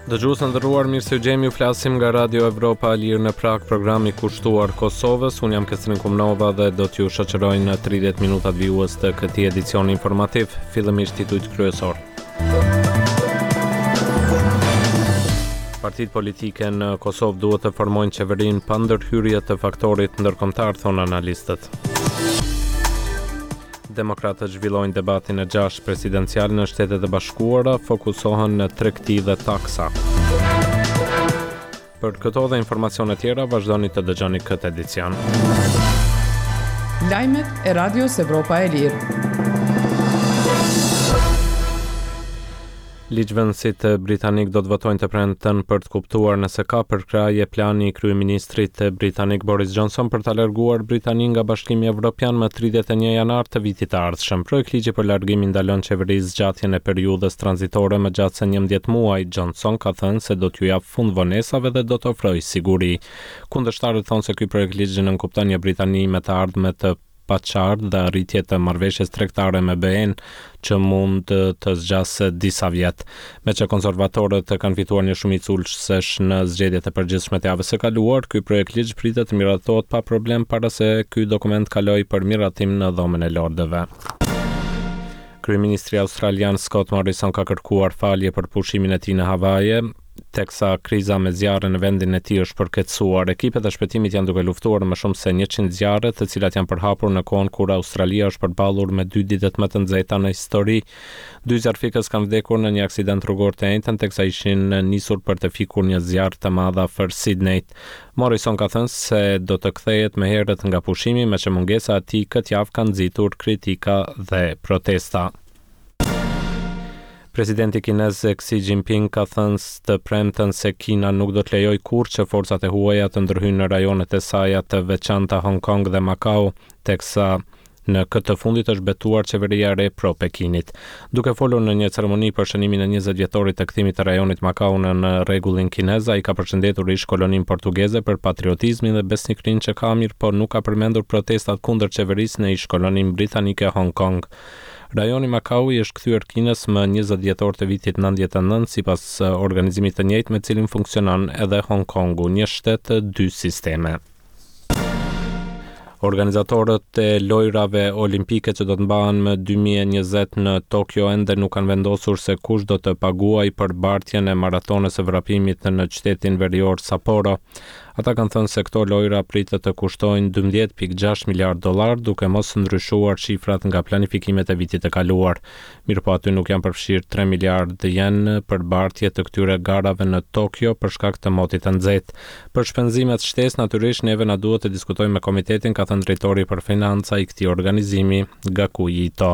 Dëgjues të nderuar, mirë se ju gjejmë, ju flasim nga Radio Evropa e Lirë në Pragë, programi kushtuar Kosovës. Unë jam Kestrin Kumnova dhe do t'ju shoqëroj në 30 minutat vijues të këtij edicioni informativ, fillimisht titujt kryesorë. Partitë politike në Kosovë duhet të formojnë qeverinë pa ndërhyrje të faktorit ndërkombëtar, thonë analistët. Demokratët zhvillojnë debatin e gjashtë presidencial në Shtetet e Bashkuara, fokusohen në tregti dhe taksa. Për këto dhe informacione tjera, vazhdoni të dëgjoni këtë edicion. Lajmet e Radios Evropa e Lirë. Ligjvënësit britanikë do të votojnë të premten për të kuptuar nëse ka përkrahje plani i kryeministrit britanik Boris Johnson për ta larguar Britaninë nga Bashkimi Evropian më 31 janar të vitit të ardhshëm. Projektligji për largim i ndalon qeverisë zgjatjen e periudhës tranzitore më gjatë se 11 muaj. Johnson ka thënë se do t'ju japë fund vonesave dhe do të ofrojë siguri. Kundërshtarët thonë se ky projektligj nënkupton një Britani me të ardhme të paqartë dhe arritje të marrëveshjes tregtare me BE-në që mund të zgjasë disa vjet. Meqë konservatorët kanë fituar një shumicë ulësesh në zgjedhjet e përgjithshme të javës së kaluar, ky projektligj pritet të miratohet pa problem para se ky dokument të kalojë për miratim në Dhomën e Lordëve. Kryeministri australian Scott Morrison ka kërkuar falje për pushimin e tij në Havaje, teksa kriza me zjarre në vendin e tij është përkeqësuar. Ekipet e shpëtimit janë duke luftuar më shumë se 100 zjarre, të cilat janë përhapur në kohën kur Australia është përballur me dy ditët më të nxehta në histori. Dy zjarrfikës kanë vdekur në një aksident rrugor të enjten teksa ishin nisur për të fikur një zjarr të madh afër Sydneyt. Morrison ka thënë se do të kthehet më herët nga pushimi, meqë mungesa e tij këtë javë ka nxitur kritika dhe protesta. Presidenti kinez Xi Jinping ka thënë të premten se Kina nuk do të lejojë kurrë që forcat e huaja të ndërhyjnë në rajonet e saja të veçanta Hong Kong dhe Macau, teksa në këtë të fundit është betuar qeveria e re pro Pekinit. Duke folur në një ceremoni për shënimin e 20 vjetorit të kthimit të rajonit Macau në rregullin kinez, ai ka përshëndetur ish-koloninë portugeze për patriotizmin dhe besnikërinë që ka, mirëpo nuk ka përmendur protestat kundër qeverisë në ish-koloninë britanike Hong Kong. Rajoni Makau i është kthyer Kinës më 20 dhjetor të vitit 99, sipas organizimit të njëjtë me cilin funksionon edhe Hong Kongu, një shtet, dy sisteme. Organizatorët e Lojërave Olimpike që do të mbahen më 2020 në Tokio ende nuk kanë vendosur se kush do të paguajë për bartjen e maratonës së vrapimit në qytetin verior Sapporo. Ata kanë thënë se këto lojëra pritet të kushtojnë 12.6 miliardë dollarë, duke mos ndryshuar shifrat nga planifikimet e vitit të kaluar. Mirëpo aty nuk janë përfshirë 3 miliardë jen për bartje të këtyre garave në Tokio për shkak të motit të nxehtë. Për shpenzimet shtesë, natyrisht neve na duhet të diskutojmë me komitetin, ka thënë drejtori për financa i këtij organizimi, Gakuji Ito.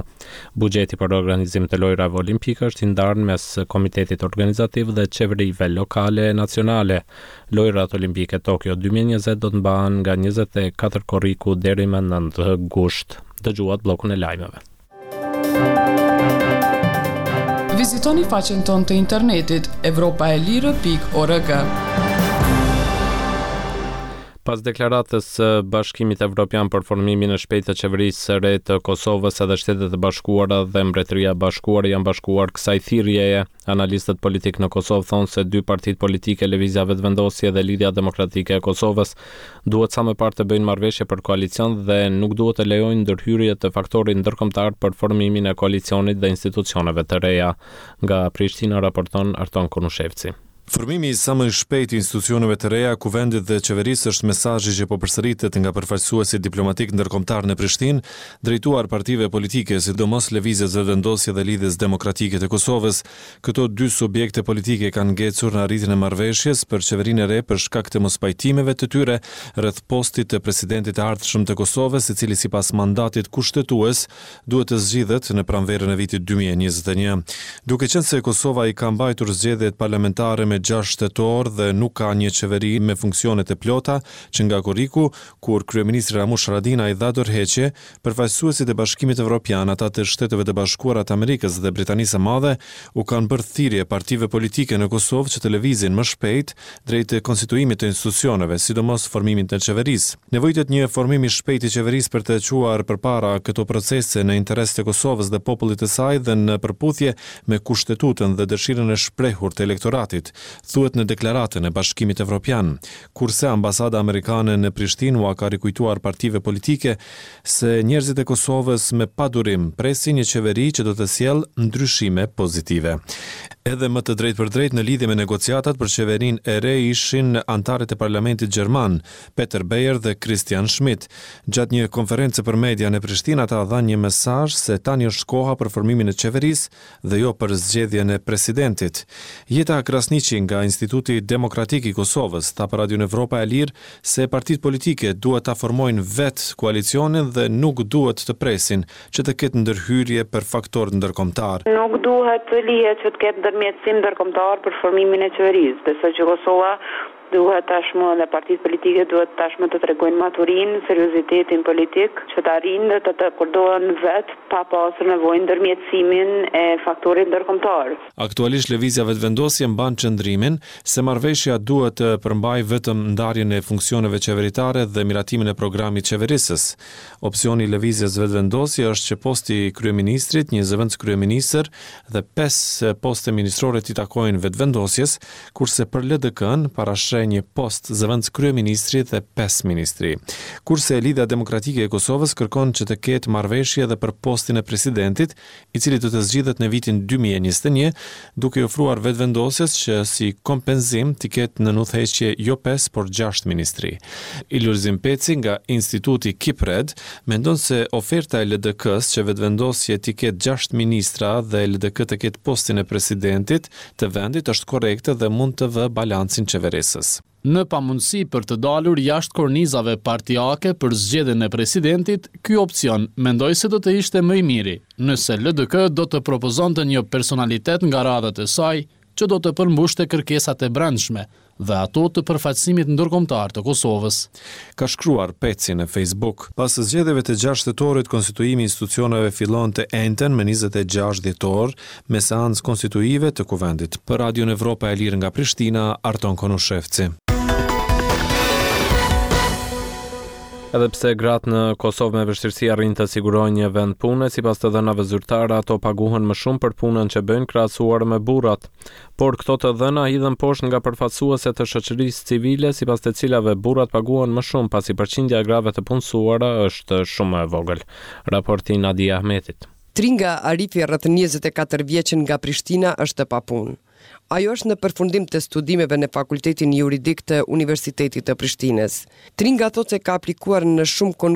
Buxheti për organizim të Lojërave Olimpike është i ndarë mes komitetit organizativ dhe qeverive lokale e nacionale. Lojërat Olimpike Tokio 2020 do të mbahen nga 24 korriku deri më 9 gusht. Dëgjuat bllokun e lajmeve. Vizitoni faqen tonë të internetit evropaelire.org. Pas deklaratës së Bashkimit Evropian për formimin e shpejtë të qeverisë së re të Kosovës, edhe Shtetet e Bashkuara dhe Mbretëria e Bashkuar i janë bashkuar kësaj thirrjeje. Analistët politikë në Kosovë thonë se dy partitë politike Lëvizja Vetëvendosje dhe Lidhja Demokratike e Kosovës duhet sa më parë të bëjnë marrëveshje për koalicion dhe nuk duhet të lejojnë ndërhyrje të faktorit ndërkombëtar për formimin e koalicionit dhe institucioneve të reja. Nga Prishtina raporton Arton Konushevci. Formimi sa më i shpejtë i institucioneve të reja, Kuvendit dhe Qeverisë është mesazhi që po përsëritet nga përfaqësuesit diplomatikë ndërkombëtarë në Prishtinë, drejtuar partive politike, sidomos Lëvizjes Vetëvendosje dhe Lidhjes Demokratike të Kosovës. Këto dy subjekte politike kanë ngecur në arritjen e marrëveshjes për qeverinë e re për shkak të mospajtimeve të tyre rreth postit të presidentit të ardhshëm të Kosovës, i cili sipas mandatit kushtetues duhet të zgjidhet në pranverën e vitit 2021. Duke qenë se Kosova i ka mbajtur zgjedhjet parlamentare me 6 tetor dhe nuk ka një qeveri me funksione të plota që nga korriku, kur kryeministri Ramush Haradinaj dha dorëheqje, përfaqësuesit e Bashkimit Evropian, ata të Shteteve të Bashkuara të Amerikës dhe Britanisë së Madhe u kanë bërë thirrje partive politike në Kosovë që të lëvizin më shpejt drejt konstituimit të institucioneve, sidomos formimit të qeverisë. Nevojitet një formim i shpejtë i qeverisë për të çuar përpara këto procese në interes të Kosovës dhe popullit të saj dhe në përputhje me Kushtetutën dhe dëshirën e shprehur të elektoratit. thuhet në deklaratën e Bashkimit Evropian. Kurse ambasada amerikane në Prishtinë ua ka rikujtuar partive politike se njerëzit e Kosovës me padurim presin një qeveri që do të sjellë ndryshime pozitive. Edhe më të drejtpërdrejtë në lidhje me negociatat për qeverinë e re ishin anëtarët e parlamentit gjerman, Peter Beyer dhe Christian Schmidt. Gjatë një konference për media në Prishtinë ata dhanë një mesazh se tani është koha për formimin e qeverisë dhe jo për zgjedhjen e presidentit. Jeta Krasniqi nga Instituti Demokratik i Kosovës tha për Radion Evropa e Lirë se partitë politike duhet ta formojnë vetë koalicionin dhe nuk duhet të presin që të ketë ndërhyrje për faktorë ndërkombëtarë. Nuk duhet të lihet që të ketë ndërmjetësim ndërkombëtar për formimin e qeverisë. Besoj që Kosova Duhet tashmë dhe partitë politike duhet tashmë të tregojnë maturinë, seriozitetin politik, që të arrijnë dhe të dakordohen vetë pa pasur nevojë ndërmjetësimin e faktorit ndërkombëtar. Aktualisht Lëvizja Vetëvendosje mban qëndrimin se marrëveshja duhet të përmbajë vetëm ndarjen e funksioneve qeveritare dhe miratimin e programit qeverisës. Opsioni i Lëvizjes Vetëvendosje është që posti i kryeministrit, një zëvendëskryeministër dhe pesë poste ministrore t'i takojnë Vetëvendosjes, kurse për LDK-në parasheh një post zëvendëskryeministri dhe pesë ministri. Kurse Lidhja Demokratike e Kosovës kërkon që të ketë marrëveshje edhe për postin e presidentit, i cili do të zgjidhet në vitin 2021, duke i ofruar Vetëvendosjes që si kompenzim t'i ketë nën udhëheqje jo pesë, por gjashtë ministri. Lulzim Peci nga Instituti KIPRED mendon se oferta e LDK-së që Vetëvendosje t'i ketë gjashtë ministra dhe LDK të ketë postin e presidentit të vendit është korrekte dhe mund të vë balancin qeverisës. Në pamundësi për të dalur jashtë kornizave partiake për zgjedhjen e presidentit, ky opsion mendoj se do të ishte më i miri, nëse LDK do të propozonte një personalitet nga radhët e saj që do të përmbushte kërkesat e brendshme dhe ato të përfaqësimit ndërkombëtar të Kosovës. Ka shkruar Peci në Facebook. Pas zgjedhjeve të gjashtë tetorit, konstituimi i institucioneve fillon të enjten më 26 dhjetor me seancë konstituive të Kuvendit. Për Radion Evropa e Lirë nga Prishtina, Arton Konushevci. Edhe pse gratë në Kosovë me vështirësi arrijnë të sigurojnë një vend pune, sipas të dhënave zyrtare, ato paguhen më shumë për punën që bëjnë krahasuar me burrat. Por këto të dhëna hidhen poshtë nga përfaqësuese të shoqërisë civile, sipas të cilave burrat paguhen më shumë pasi përqindja e grave të punësuara është shumë më e vogël. Raporti i Nadia Ahmetit. Tringa Arifi rreth 24 vjeç nga Prishtina është e papunë. Ajo është në përfundim të studimeve në Fakultetin Juridik të Universitetit të Prishtinës. Tringa thotë se ka aplikuar në shumë konkurse.